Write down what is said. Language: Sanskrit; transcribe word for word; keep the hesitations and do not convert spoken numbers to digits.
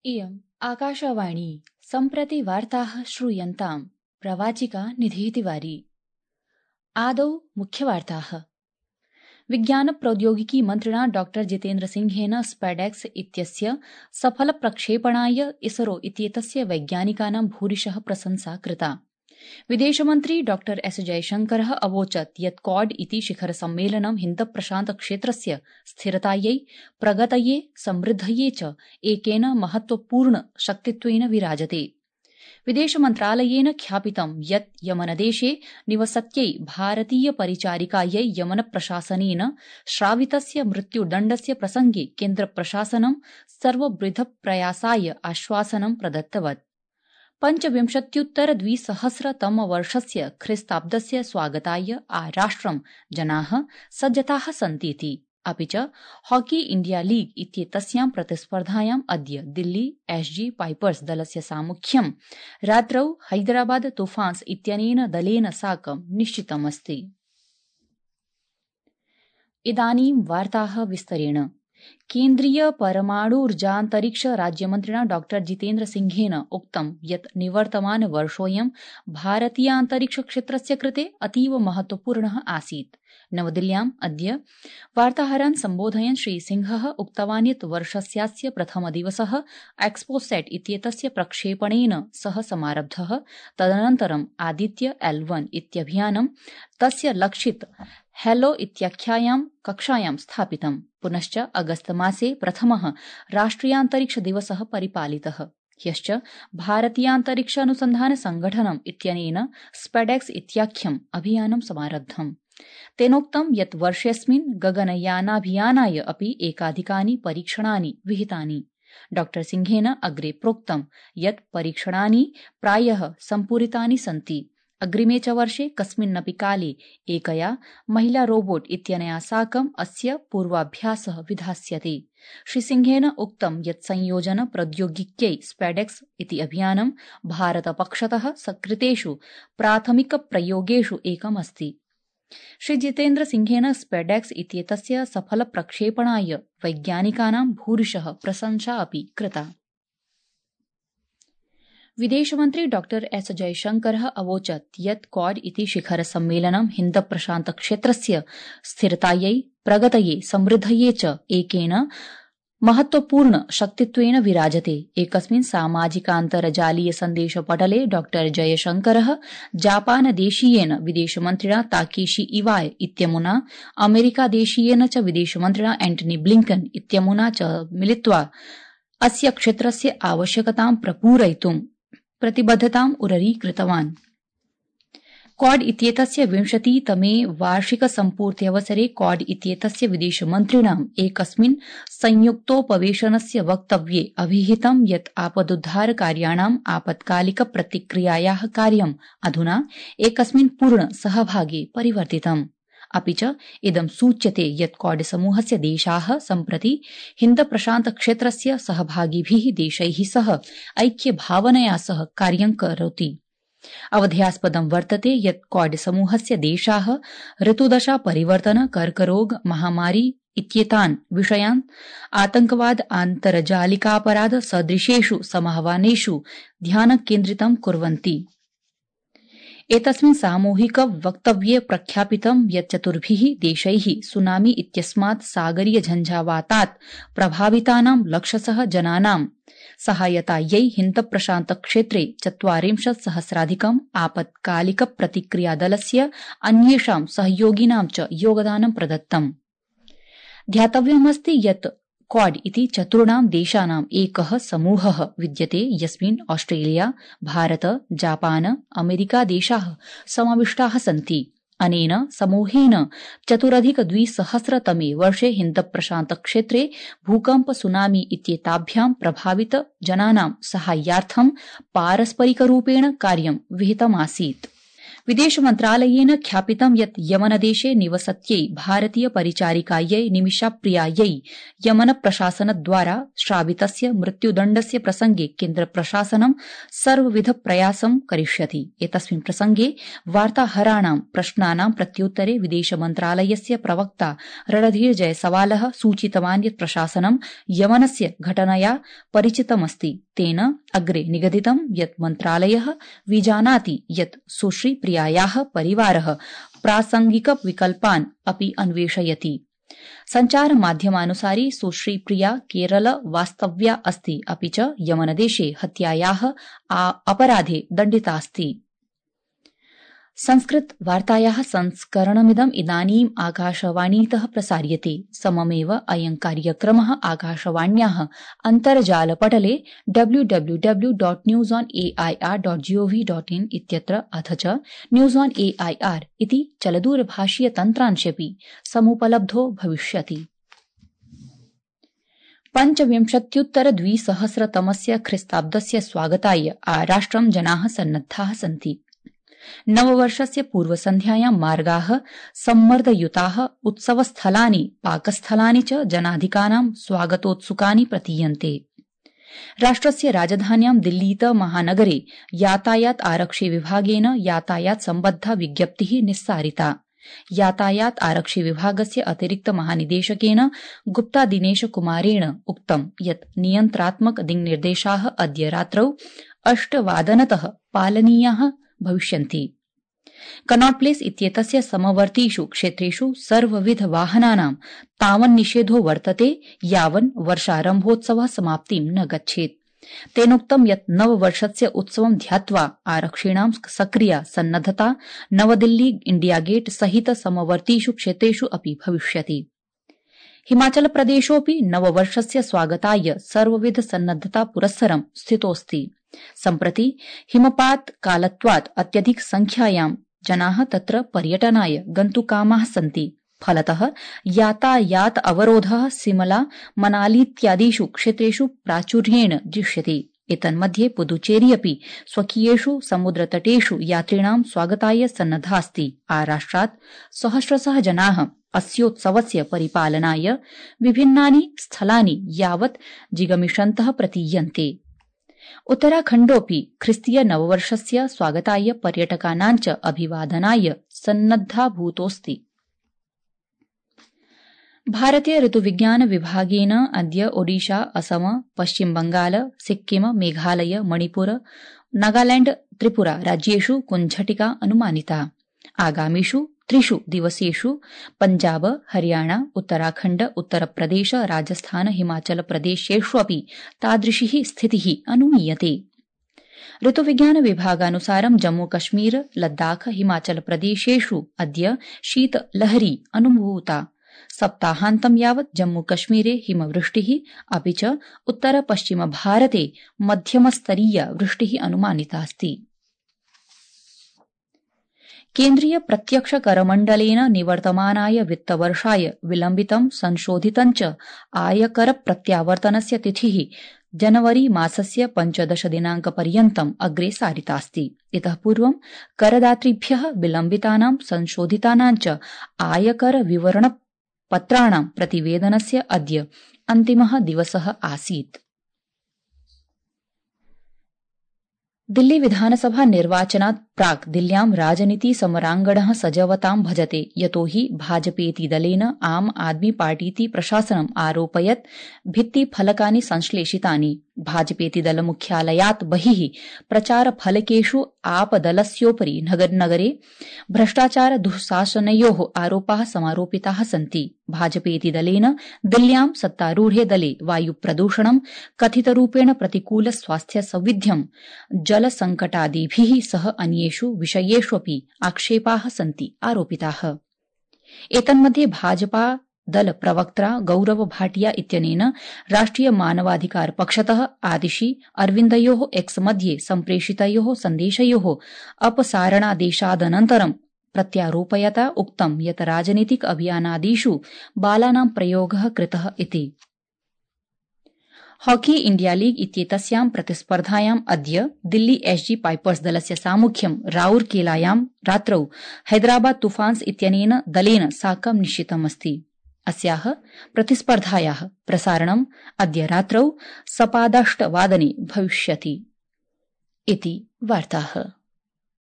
इयम् आकाशवाणी सम्प्रति वार्ताः श्रूयन्ताम् प्रवाचिका निधितिवारी। आदौ मुख्यवार्ताः। विज्ञान प्रौद्योगिकी मन्त्रिणा डॉ जितेन्द्र सिंहेन स्पैडेक्स इत्यस्य सफल प्रक्षेपणाय इसरो इत्येतस्य वैज्ञानिकानां भूरिशः प्रशंसा कृता। विदेशमन्त्री डॉ एस जयशंकरः अवोचत् यत् क्वाड इति शिखर सम्मेलनं हिन्द प्रशान्त क्षेत्रस्य स्थिरतायै, प्रगतये, समृद्धये च एकेन महत्वपूर्ण शक्तित्वेन विराजते। विदेशमन्त्रालयेन ख्यापितं यत् यमनदेशे निवसत्यै भारतीय परिचारिकायै यमन प्रशासनेन श्रावितस्य मृत्युदण्डस्य प्रसंगे केन्द्रप्रशासनं सर्वविधप्रयासाय आश्वासनं प्रदत्तवत्। पञ्चविंशत्युत्तर द्विसहस्रतमवर्षस्य ख्रीस्ताब्दस्य स्वागताय आराष्ट्रं जनाः सज्जताः सन्तीति। अपि च हॉकी इण्डिया लीग इत्येतस्यां प्रतिस्पर्धायाम् अद्य दिल्ली एसजी पाइपर्स दलस्य सामुख्यं रात्रौ हैदराबाद तूफान्स् इत्यनेन दलेन साकं निश्चितमस्ति। इदानीं वार्ताः विस्तरेण। केन्द्रीय परमाणुर्जान्तरिक्ष राज्यमन्त्रिणा डॉ जितेन्द्र सिंहेन उक्तं यत् निवर्तमान वर्षोऽयं भारतीयान्तरिक्ष क्षेत्रस्य कृते अतीव महत्वपूर्णः आसीत्। नवदिल्ल्याम् अद्य वार्ताहरान् सम्बोधयन् श्रीसिंहः उक्तवान् यत् वर्षस्यास्य प्रथमदिवसः एक्सपोसेट् इत्येतस्य प्रक्षेपणेन सह समारब्धः। तदनन्तरम् आदित्य एल् वन इत्यभियानं तस्य लक्षित हेलो इत्याख्यायां कक्षायां स्थापितम्। पुनश्च अगस्तमासे प्रथमः राष्ट्रियान्तरिक्ष दिवसः परिपालितः, ह्यश्च भारतीयान्तरिक्ष अनुसन्धान संघटनम् इत्यनेन स्पैडेक्स इत्याख्यम् अभियानं समारब्धम्। तेनोक्तं यत् वर्षेऽस्मिन् गगनयानाभियानाय अपि एकाधिकानि परीक्षणानि विहितानि। डॉ सिंहेन अग्रे प्रोक्तं यत् परीक्षणानि प्रायः सम्पूरितानि सन्ति। अग्रिमे च वर्षे कस्मिन्नपि काले एकया महिला रोबोट इत्यनया साकम् अस्य पूर्वाभ्यासः विधास्यते। श्रीसिंहेन उक्तं यत् संयोजन प्रौद्योगिक्यै स्पैडेक्स इति अभियानं भारतपक्षतः सकृतेषु प्राथमिकप्रयोगेषु एकमस्ति। श्रीजितेन्द्र सिंहेन स्पैडेक्स इत्येतस्य सफल प्रक्षेपणाय वैज्ञानिकानां भूरिशः प्रशंसा अपि कृता। विदेशमन्त्री डॉ एस जयशंकरः अवोचत् यत् क्वाड इति शिखर सम्मेलनं हिन्द प्रशान्त क्षेत्रस्य स्थिरतायै, प्रगतये, समृद्धये च एकेन महत्वपूर्ण शक्तित्वेन विराजते। एकस्मिन् सामाजिकान्तर्जालीय सन्देशपटले डॉ जयशंकरः जापानदेशीयेन विदेशमन्त्रिणा ताकेशी इवाय इत्यमुना अमेरिकादेशीयेन च विदेशमन्त्रिणा एंटनी ब्लिंकन इत्यमुना च मिलित्वा अस्य क्षेत्रस्य आवश्यकतां प्रपूरयितुं प्रतिबद्धताम् उररीकृतवान्। क्वाड इत्येतस्य विंशतितमे वार्षिकसम्पूर्त्यवसरे क्वाड इत्येतस्य विदेशमन्त्रिणाम् एकस्मिन् संयुक्तोपवेशनस्य वक्तव्ये अभिहितं यत् आपदुद्धारकार्याणाम् आपत्कालिक प्रतिक्रियायाः कार्यम् अधुना एकस्मिन् पूर्ण सहभागे परिवर्तितम्। अपि च इदं सूच्यते यत् क्वाड समूहस्य देशाः सम्प्रति हिन्द प्रशान्त क्षेत्रस्य सहभागिभिः देशैः सह ऐक्यभावनया सह कार्यं करोति। अवधेयास्पदं वर्तते यत् क्वाड समूहस्य देशाः ऋतुदशा परिवर्तन, कर्करोग, महामारी इत्येतान् विषयान् आतंकवाद, आन्तर्जालिकापराध सदृशेषु समाह्वानेषु ध्यानकेन्द्रितं कुर्वन्ति। एतस्मिन् सामूहिक वक्तव्ये प्रख्यापितं यत् चतुर्भिः देशैः सुनामी इत्यस्मात् सागरीय झञ्झावातात् प्रभावितानां लक्षशः जनानां सहायतायै हिन्द प्रशान्त क्षेत्रे चत्वारिंशत् सहस्राधिकम् आपत्कालिक प्रतिक्रियादलस्य अन्येषां सहयोगिनां च योगदानं प्रदत्तम्। ध्यातव्यमस्ति यत् क्वाड इति चतुर्णां देशानाम् एकः समूहः विद्यते यस्मिन् ऑस्ट्रेलिया, भारत, जापान, अमेरिका देशाः समाविष्टाः सन्ति। अनेन समूहेन चतुरधिक द्विसहस्रतमे वर्षे हिन्द प्रशान्त क्षेत्रे भूकम्प, सुनामी इत्येताभ्यां प्रभावित जनानां साहाय्यार्थं पारस्परिकरूपेण कार्यं विहितमासीत्। विदेश मन्त्रालयेन ख्यापितं यत् यमनदेशे निवसत्यै भारतीय परिचारिकायै निमिषाप्रियायै यमन प्रशासनद्वारा श्रावितस्य मृत्युदण्डस्य प्रसंगे केन्द्रप्रशासनं सर्वविध प्रयासं करिष्यति। एतस्मिन् प्रसंगे वार्ताहराणां प्रश्नानां प्रत्युत्तरे विदेश मन्त्रालयस्य प्रवक्ता रणधीर जयसवालः सूचितवान् यत् प्रशासनं यमनस्य घटनया परिचितमस्ति। तेन अग्रे निगदितं यत् मन्त्रालयः विजानाति यत् सुश्री प्रियायाः परिवारः प्रासंगिक विकल्पान् अपि अन्वेषयति। सञ्चारमाध्यमानुसारि सुश्री प्रिया केरल वास्तव्या अस्ति, अपि च यमनदेशे हत्यायाः अपराधे दण्डितास्ति। संस्कृत वार्तायाः संस्करणमिदम् इदानीम् आकाशवाणीतः प्रसार्यते। सममेव अयं कार्यक्रमः आकाशवाण्याः अन्तर्जालपटले W W W dot news on A I R dot gov dot in इत्यत्र अथ च news on A I R इति चलदूरभाषीय तन्त्रांशेऽपि समुपलब्धो भविष्यति। पञ्चविंशत्युत्तर द्विसहस्रतमस्य ख्रीस्ताब्दस्य स्वागताय आराष्ट्रं जनाः सन्नद्धाः सन्ति। नववर्षस्य पूर्वसन्ध्यायां मार्गाः सम्मर्दयुताः, उत्सवस्थलानि पाकस्थलानि च जनाधिकानां स्वागतोत्सुकानि प्रतीयन्ते। राष्ट्रस्य राजधान्यां दिल्लीत महानगरे यातायात आरक्षि विभागेन यातायात सम्बद्धा विज्ञप्तिः निस्सारिता। यातायात आरक्षि विभागस्य अतिरिक्त महानिदेशकेन गुप्ता दिनेश कुमारेण उक्तं यत् नियन्त्रात्मक दिङ्निर्देशाः अद्य रात्रौ अष्टवादनतः पालनीयाः भविष्यन्ति। कनॉट प्लेस इत्येतस्य समवर्तीषु क्षेत्रेषु सर्वविध वाहनानां तावन्निषेधो वर्तते यावन् वर्षारम्भोत्सवः समाप्तिं न गच्छेत्। तेनोक्तं यत् नववर्षस्य उत्सवं ध्यात्वा आरक्षिणां सक्रिया सन्नद्धता नवदिल्ली इंडिया गेट सहित समवर्तीषु क्षेत्रेषु अपि भविष्यति। हिमाचल प्रदेशोऽपि नववर्षस्य स्वागताय सर्वविध सन्नद्धता पुरस्सरं स्थितोऽस्ति। सम्प्रति हिमपात कालत्वात् अत्यधिक संख्यायां जनाः तत्र पर्यटनाय गन्तुकामाः सन्ति। फलतः यातायात अवरोधः सिमला मनालीत्यादिषु क्षेत्रेषु प्राचुर्येण दृश्यते। एतन्मध्ये पुदुचेरी अपि स्वकीयेषु समुद्रतटेषु यात्रिणां स्वागताय सन्नद्धास्ति। आराष्ट्रात् सहस्रशः जनाः अस्योत्सवस्य परिपालनाय विभिन्नानि स्थलानि यावत् जिगमिषन्तः प्रतीयन्ते। उत्तराखण्डोऽपि ख्रिस्तीय नववर्षस्य स्वागताय पर्यटकानां च अभिवादनाय सन्नद्धाभूतोऽस्ति। भारतीय ऋतुविज्ञान विभागेन अद्य ओडिशा, असम, पश्चिम बंगाल, सिक्किम, मेघालय, मणिपुर, नागालैंड, त्रिपुरा राज्येषु कुञ्झटिका अनुमानिता। आगामिषु त्रिषु दिवसेषु पंजाब, हरियाणा, उत्तराखण्ड, उत्तरप्रदेश, राजस्थान, हिमाचल प्रदेशेष्वपि तादृशी स्थितिः अनुमीयते। ऋतुविज्ञान विभागानुसारं जम्मू कश्मीर, लद्दाख, हिमाचल प्रदेशेषु अद्य शीतलहरी अनुभूता। सप्ताहान्तं यावत् जम्मू कश्मीरे हिमवृष्टिः अपि च उत्तर पश्चिम भारते मध्यमस्तरीया वृष्टिः अनुमानितास्ति। केन्द्रीय प्रत्यक्ष करमण्डलेन निवर्तमानाय वित्तवर्षाय विलम्बितं संशोधितं च आयकर प्रत्यावर्तनस्य तिथिः जनवरी मासस्य पञ्चदश दिनाङ्कपर्यन्तम् अग्रे सारितास्ति। इतः पूर्वं करदातृभ्यः विलम्बितानां संशोधितानां च आयकर विवरणपत्राणां प्रतिवेदनस्य अद्य अन्तिमः दिवसः आसीत्। दिल्ली विधानसभा निर्वाचनात् प्राक् दिल्ल्यां राजनीति समराङ्गणः सजवतां भजते, यतोहि भाजपेति दलेन आम आदमी पार्टीति प्रशासनम् आरोपयत् भित्तिफलकानि संश्लेषितानि। भाजपेति दल मुख्यालयात् बहिः प्रचारफलकेषु आपदलस्योपरि नगरे भ्रष्टाचार दुःशासनयोः आरोपाः समारोपिताः सन्ति। भाजपेति दलेन दिल्ल्यां सत्तारूढे दले वायुप्रदूषणं, कथितरूपेण प्रतिकूल स्वास्थ्य सौविध्यं, जलसंकटादिभिः सह अन्येषु विषयेष्वपि आक्षेपाः सन्ति आरोपिताः। एतन्मध्ये भाजपा दल प्रवक्त्रा गौरव भाटिया इत्यनेन राष्ट्रिय मानवाधिकार पक्षतः आदिशि अरविन्दयोः एक्स मध्ये सम्प्रेषितयोः सन्देशयोः अपसारणादेशादनन्तरं प्रत्यारोपयता उक्तं यत् राजनीतिक अभियानादिषु बालानां प्रयोगः कृतः इति। हॉकी इण्डिया लीग इत्येतस्यां प्रतिस्पर्धायाम् अद्य दिल्ली एसजी पाइपर्स दलस्य सामुख्यं राउरकेलायां रात्रौ हैदराबाद तुफान्स इत्यनेन दलेन साकं निश्चितमस्ति। अस्याः प्रतिस्पर्धायाः प्रसारणम् अद्य रात्रौ सपादाष्टवादने भविष्यति। इति वार्ताः।